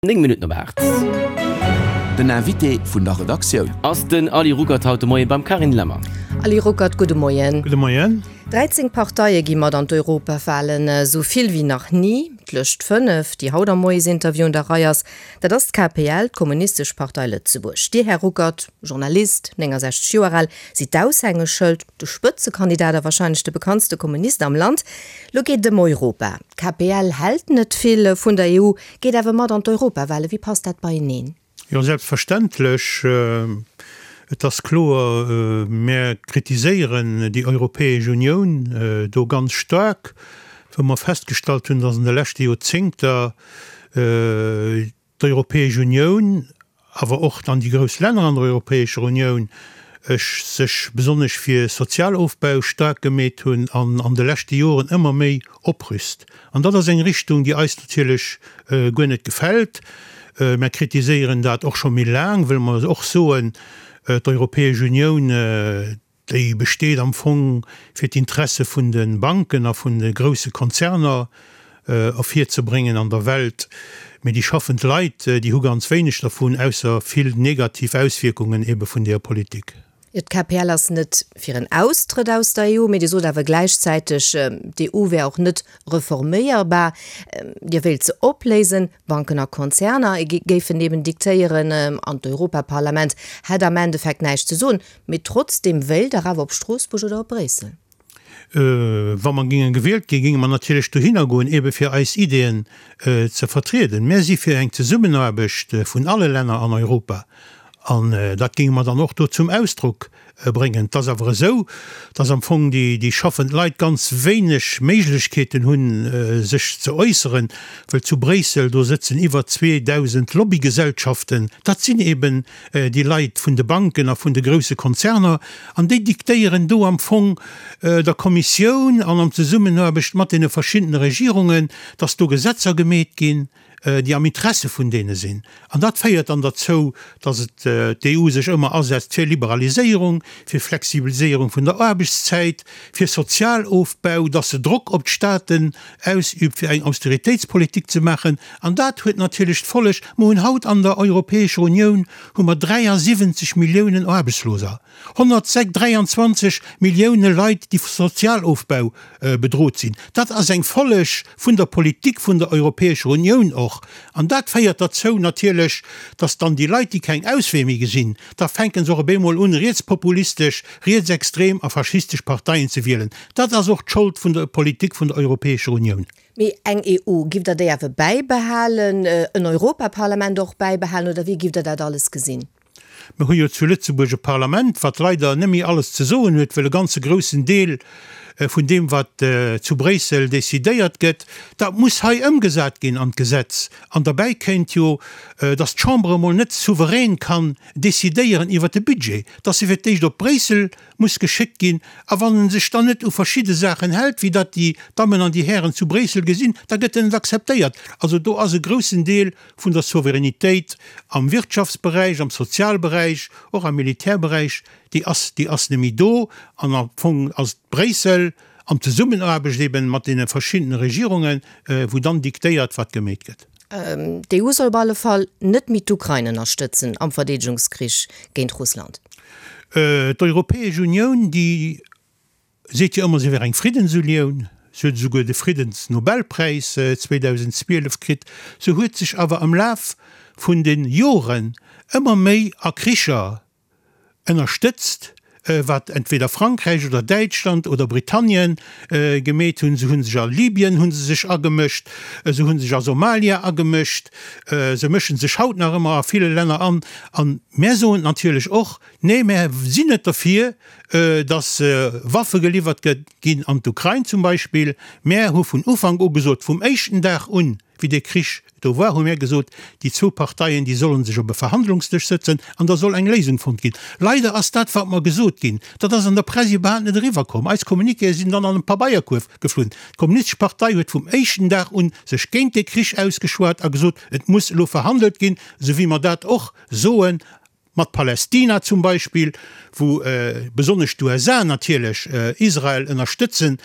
9 Minutten op 8. Den Invité vun der Redaktioun. Ass den Ali Ruckert haut de Moien beim Carine Lemmer. Ali Ruckert, gudde Moien. Gudde Moien. 13 Parteie gi mat an d'Europawalen, esou vill wéi nach ni. D'lëscht 5, déi haut am Moiesinterview un der Rei ass, dat ass d'KPL, d'Kommunistesch Partei Lëtzebuerg. Dir, Här Ruckert, Journalist, 69 Joer al, sidd d'Aushängeschëld, de Spëtzekandidat a warscheinlech de bekanntste Kommunist am Land. Lo geet et ëm Europa. D'KPL hält net vill vun der EU, geet awer mat an d'Europawale. Wéi passt dat beieneen? Jo, selbstverständlech. Et ass kloer, mär kritiséieren déi Europäesch Unioun do ganz staark, wou mer festgestallt hunn, datt an de leschte Joerzéngter d'Europäesch Unioun, awer och dann déi grouss Länner an der Europäescher Unioun, sech besonnesch fir Sozialofbau staark gemeet hunn an an de leschte Joren ëmmer méi oprüst. An dat ass eng Richtung, déi eis natierlech guer net gefält. Mär kritiséieren dat och scho méi laang, wëll mer och soen, d'Europäesch Unioun, Déi besteet am Fong fir d'Interesse vun de Banken a vun de grousse Konzerner ervirzebréngen an der Welt. Mee déi schaffend Leit, déi hu ganz wéineg dervun, ausser vill negativ Auswierkungen ebe vun deeër Politik. Jo, d'KPL ass net fir en Austrëtt aus der EU, mee Dir sot awer gläichzäiteg, d'EU wär och net reforméierbar. Dir wéilt se opléisen. Banken a Konzerner géifen eben diktéieren an d'Europaparlament hätt am Endeffekt näischt ze soen. Mee trotzdeem wéilt Der awer op Stroossbuerg oder op Bréissel? Wa mer géinge gewielt ginn, géinge mer natierlech dohinner goen, ebe fir eis Ideeën ze vertrieden. Mär si fir eng Zesummenaarbecht vun alle Länner an Europa an dat géinge mer dann och do zum Ausdrock bréngen. Et ass awer esou, dass am Fong déi schaffend Leit ganz wéineg Méiglechkeeten hunn, sech ze äusseren, wëll zu Bréissel, do sëtzen iwwer 2.000 Lobbygesellschaften. Dat sinn eben déi Leit vun de Banken a vun de grousse Konzerner an déi diktéieren do am Fong der Kommissioun an an Zesummenaarbecht mat deene verschiddene Regierungen, dass do Gesetzer gemeet ginn, déi am Interesse vun deene sinn. An dat féiert dann derzou, datt et d'EU sech ëmmer asetzt fir Liberaliséierung, fir Flexibiliséierung vun der Aarbechtszäit, fir Sozialofbau, datt se Drock op d'Staaten ausüübt, fir eng Austeritéitspolitik ze maachen. An dat huet natierlech d'Folleg, mer hunn haut an der Europäescher Unioun hu mer 73 Milliounen Aarbechtsloser. 123 Millioune Leit, déi vu Sozialofbau bedrot sinn. Dat ass eng Folleg vun der Politik vun der Europäescher Unioun och. An dat féiert derzou natierlech, datt dann déi Leit, déi keng Auswee méi gesinn, da fänke se och op eemol un, rietspopulistesch, rietsextrem a faschistesch Parteien ze wielen. Dat ass och d'Schold vun der Politik vun der Europäescher Unioun. Mee eng EU, giff Der déi awer bäibehalen, en Europaparlament och bäibehalen, oder wéi giff Der dat alles gesinn? Mir hu jo zu Lëtzebuerg e Parlament, wat leider net méi alles ze soen huet, well e ganze groussen Deel vun deem, wat zu Bréissel decidéiert gëtt, dat muss hei ëmgesat ginn an d'Gesetz. An derbäi kéint jo, dass d'Chamber emol net souverän kann decidéieren iwwert de Budget, dass se fir d'éischt op Bréissel muss geschéckt ginn. A wann en sech dann net u verschidde Saachen hält, wéi dat déi Dammen an déi Hären zu Bréissel gesinn, da gëtt en net akzeptéiert. Also do ass e groussen Deel vun der Souveränitéit am Wirtschaftsberäich, am Sozialberäich, och am Militärberäich, déi ass, déi ass net méi do. An am Fong ass et Bréissel, an Zesummenaarbecht eben mat deene verschiddene Regierungen, wou dann diktéiert, wat gemeet gëtt. D'EU soll op alle Fall net méi d'Ukrain ënnerstëtzen am Verdeedegungskrich géint Russland. D'Europäesch Unioun, déi Seet jo ëmmer, se wär eng Friddensunioun. Se huet esouguer de Friddensnobelpräis 2012 kritt. Se huet sech awer am Laf vun de Joren ëmmer méi a Kricher ënnerstëtzt, wat entweder Frankräich oder Däitschland oder Britannien gemeet hunn. Se hu sech a Libyen hu se sech agemëscht, se hu sech a Somalia agemëscht, se mësche sech haut nach ëmmer a ville Länner an. A mär soen natierlech och, Nee, mär sinn net derfir, datt Waffe geliwwert ginn an d'Ukrain zum Beispill. Mär hu vun Ufank u gesot, vum éischten Dag un, wéi dee Krich do war, hu mär gesot, déi zwou Parteien, déi solle sech op e Verhandlungsdësch sëtzen an da soll eng Léisung fonnt ginn. Leider ass dat, wat mer gesot ginn, dat ass an der Press iwwerhaapt net eriwwerkomm. Eis Communiquéë sinn dann an e Pabeierkuerf geflunn. D'Kommunistesch Partei huet vum éischten Dag un sech géint dee Krich ausgeschwat a gesot, et muss elo verhandelt ginn, esou wéi mer dat och soen Mat Palästina zum Beispill, wou besonnesch d'USA natierlech Israel ënnerstëtzen.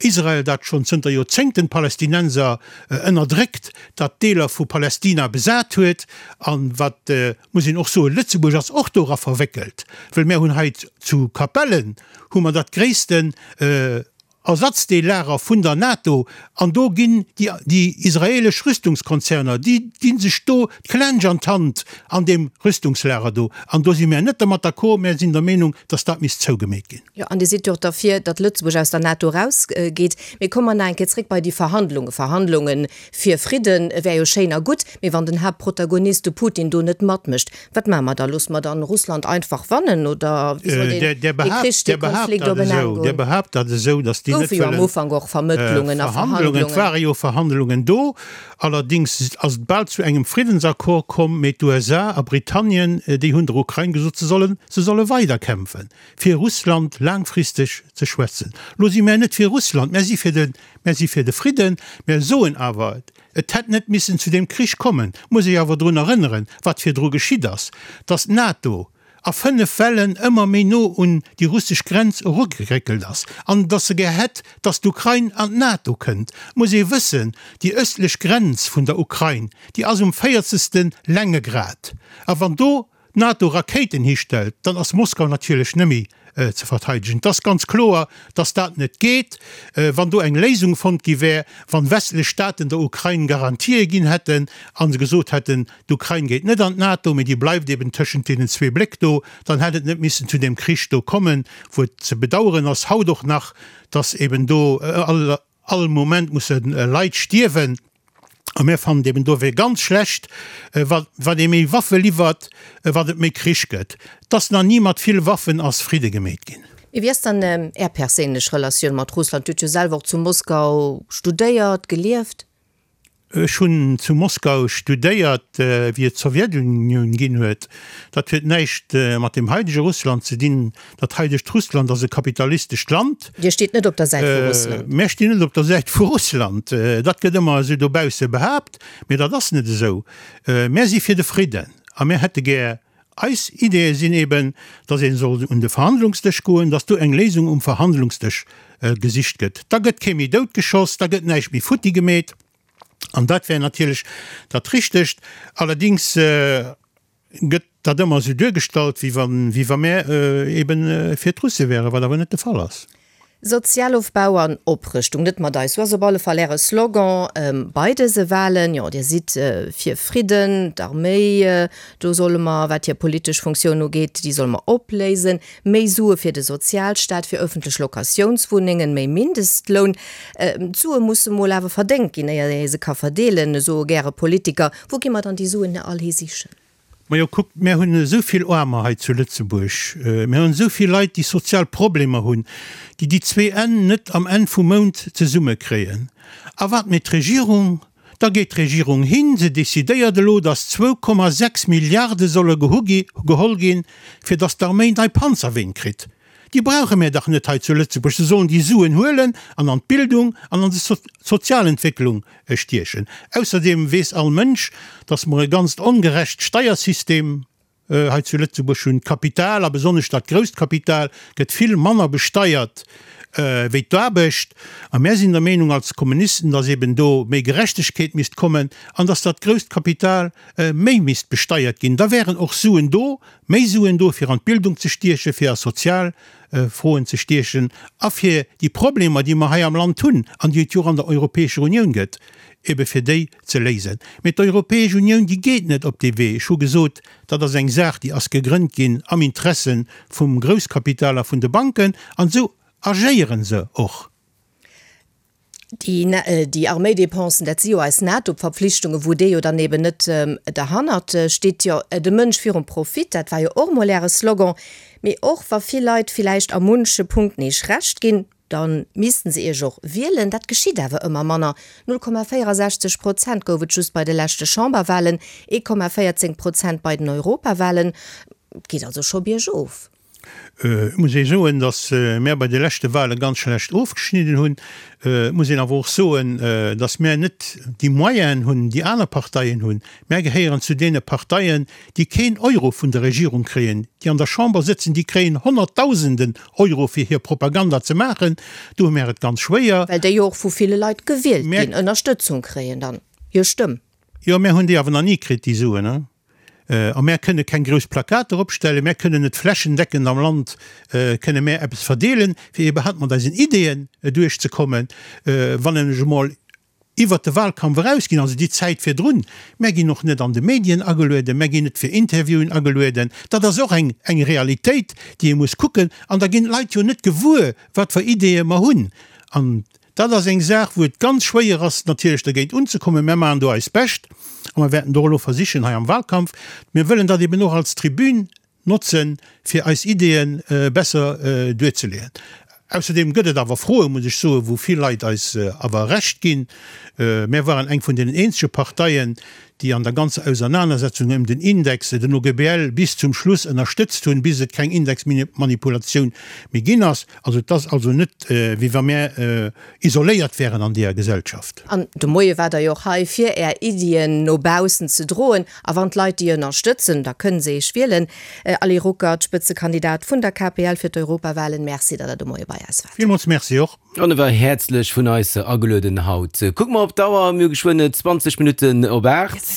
Israel, dat schonn zënter Joerzéngten d'Palästinenser ënnerdréckt, dat Deeler vu Palästina besat huet. An wat, muss een och soen, Lëtzebuerg ass och dora verwéckelt, wëll mär hunn hei zu Capellen hu mer dat gréissten Ersatzdeellager vun der NATO an do ginn déi israelesch Rüstungskonzerner, déi gi sech do d'Klensch an d'Hand an deem Rüstungslager do. An do si mär net dermat d'accord, mär sinn der Meenung, datt dat misst zougemeet ginn. Jo, an Dir sidd jo och derfir, datt Lëtzebuerg aus der NATO erausgeet. Mee komme mer nach eng Kéier zréck bei déi Verhandlungen. Verhandlunge fir Fridde wär jo schéin a gutt, mee wann den Haaptprotagonist, de Putin, do net matmécht, Wat maache mer da? Loosse mer dann Russland einfach wannen oder wéi soll deen dee Krich, dee Konflikt op en Enn goen? Dir behaapt dat esou, datt déi net Goufe jo am Ufank och Vermëttlungen a Verhandlungen. Et ware jo Verhandlungen do. Allerdéngs ass et bal zu engem Friddensaccord komm, mee d'USA a Britannien, déi hunn der Ukrain gesot, se sollen, se solle weiderkämpfen, fir Russland laangfristeg ze schwätzen. Lo si mär net fir Russland, mär si fir de, mär si fir de Fridden. Mär soen awer, Et hätt net missen zu deem Krich kommen, muss ech awer drun erënneren, wat virdru geschitt ass, datt d'NATO a 5 Wellen ëmmer méi no un déi russesch Grenz erugeréckelt ass an datt se gär hätt, datt d'Ukrain an d'NATO kënnt. Muss ee wëssen, déi östlech Grenz vun der Ukrain, déi ass um véierzegste Längegrad a wann do d'NATO Rakéiten histellt, dann ass Moskau natierlech net méi ze verteidegen. Et ass ganz kloer, datt dat net geet. Wann do eng Léisung fonnt gi wär, wann westlech Staaten der Ukrain Garantië ginn hätten a se gesot hätten, d'Ukrain geet net an d'NATO, mee déi bleift eben tëschent deenen zwee Bléck do, dann hätt et net missen zu deem Krich do kommen, wou et ze bedauern ass haut och nach, datt eben do all Moment musse Leit stierwen. A mir fannen eben dofir ganz schlecht, wa wat ee méi Waffe liwwert, wat et méi Krich gëtt. Et ass nach ni mat vill Waffen ass Fridde gemeet ginn. Mee wéi ass dann Är perséinlech Relatioun mat Russland? Dir hutt jo selwer och zu Moskau studéiert, gelieft. Ech hunn zu Moskau studéiert, wéi et d'Sowjetunioun ginn huet. Dat huet näischt mat deem haidege Russland ze dinn. Dat haidegt Russland ass e kapitalistescht Land. Dir steet net op der Säit vu Russland? Mär stinn net op der Säit vu Russland. Dat gëtt ëmmer esou dobausse behaapt, mee dat ass net esou. Mär si fir de Fridden a mär hätte gär, eis Ideeë sinn eben, datt ee soll un de Verhandlungsdësch goen, datt do eng Léisung um Verhandlungsdësch gesicht gëtt. Da gëtt kee méi doutgeschoss, da gëtt näischt méi futti gemeet an dat wär natierlech dat Richtegt. Allerdéngs gëtt dat ëmmer esou duergestallt, wéi wa, wéi wa mär eben fir d'Russe wären, wat awer net de Fall ass. Sozialofbau an Oprëschtung, net mat eis, sou ass op alle Fall Äre Slogan bei dëse Wahlen. Jo, Dir sidd fir Fridden, d'Arméi, do solle mer, wat hir politesch Funktioun ugeet, déi solle mer opléisen, méi Sue fir de Sozialstaat, fir ëffentlech Locatiounswunnengen, méi Mindestloun. D'Sue musse mol awer verdéngt ginn, éier ee se ka verdeelen, soe gäre Politiker. Wou gi mer dann déi Suen all hi sichen? Majo, kuckt, mär hunn esou vill Aarmer hei zu Lëtzebuerg, mär hunn esou vill Leit, déi sozial Problemer hunn, déi déi zwee Enn net am Enn vum Mount zesummekréien. A wat mécht d'Regierung? Da geet d'Regierung hin, se decidéiert elo, datt 2,6 Milliarde solle geholl ginn, fir datt d'Arméi nei Panzerween kritt. Déi brauche mär dach net hei zu Lëtzebuerg. Se sollen déi Suen huelen an an d'Bildung an an d'Sozialentwécklung stiechen. Ausserdeem weess all Mënsch, datt mer e ganzt ongerecht Steiersystem hei zu Lëtzebuerg hunn. D'Kapital, a besonnesch dat grousst Kapital, gëtt vill manner besteiert wéi d'Aarbecht. A mär sinn der Meenung als Kommunisten, datt eben do méi Gerechtegkeet misst kommen an datt dat grousst Kapital méi misst besteiert ginn. Da wären och Suen do, Méi Suen do fir an d'Bildung ze stiechen, fir a sozial Froen ze stiechen a fir déi Problemer, déi mer hei am Land hunn an déi et jo och an der Europäescher Unioun gëtt, ebe fir déi ze léisen. Mee d'Europäesch Unioun, déi geet net op dee Wee. Ech hu gesot, dat ass eng Saach, déi ass gegrënnt ginn am Interesse vum Grousskapital a vun de Banken an esou agéiere se och. Déi Arméidépensen, dat si jo eis NATO-Verpflichtungen, wou Dir jo dann eben net derhannert stitt. Jo, de Mënsch virum Profit, dat war jo och emol Äre Slogan. Mee och wa vill Leit villäicht a munche Punkten Iech Recht ginn, da missten se Iech och wielen. Dat geschitt awer ëmmer manner. 0,64 Prozent gouf et just bei de leschte Chamberwahlen, 1,14 Prozent bei den Europawahlen. Et geet also scho biergof. Et muss ee soen, datt mär bei de leschte Wahle ganz schlecht ofgeschnidden hunn. Et muss een awer och soen, datt mär net déi Moyenen hunn, déi aner Parteien hunn. Mär gehéieren zu deene Parteien, déi keen Euro vun der Regierung kréien. Déi an der Chamber sëtzen, déi kréien Honnertdausenden Euro fir hir Propaganda ze maachen. Do hu mär et ganz schwéier. Well déi jo och vu ville Leit gewielt ginn, Ënnerstëtzung kréien dann hir Stëmm. Jo, mär hunn déi awer nach ni kritt, déi Suen. A mär kënne keng grouss Plakater opstellen, mär kënnen net flächendeckend am Land kënne mär eppes verdeelen, fir iwwerhaapt mat eisen Ideeën duerchzekommen, wann ech emol iwwert de Wahlkampf erausginn, also déi Zäit virdrun. Mär ginn och net an de Medien agelueden, mär ginn net fir Interviewen agelueden. Dat ass och eng eng Realitéit, déi ee muss kucken. An da ginn d'Leit jo net gewuer, wat fir Ideeë mer hunn. An Dat ass eng Saach, wou et ganz schwéier ass, natierlech dergéint unzekommen. Mär maachen do eist Bescht a mer wäerten do och elo versichen hei am Wahlkampf, mir wëllen dat eben och als Tribün notzen, fir eis Ideeë besser duerzeleeën. Ausserdeem gëtt et awer Froen, muss ech soen, wou vill Leit eis awer Recht ginn. Mär waren eng vun deenen eenzege Parteien, déi an der ganzer Ausernanersetzung ëm den Index den OGBL bis zum Schluss ënnerstëtzt hunn, bis et keng Indexmanipulatioun méi ginn ass. Also et ass also net, wéi wa mär isoléiert wären an deeër Gesellschaft. An de Moie waart Der jo och hei, fir Är Iddien no baussen ze droen. A wann d'Leit déi ënnerstëtzen, da kënnen se Iech wielen. Ali Ruckert, Spëtzekandidat vun der KPL fir d'Europawahlen, Merci, datt Der de Moie bei eis waart. Villmools Merci och. An e war häerzlech vun eis agelueden haut. Kucke mer op d'Auer, mir hu geschwënn 20 Minutten op 8.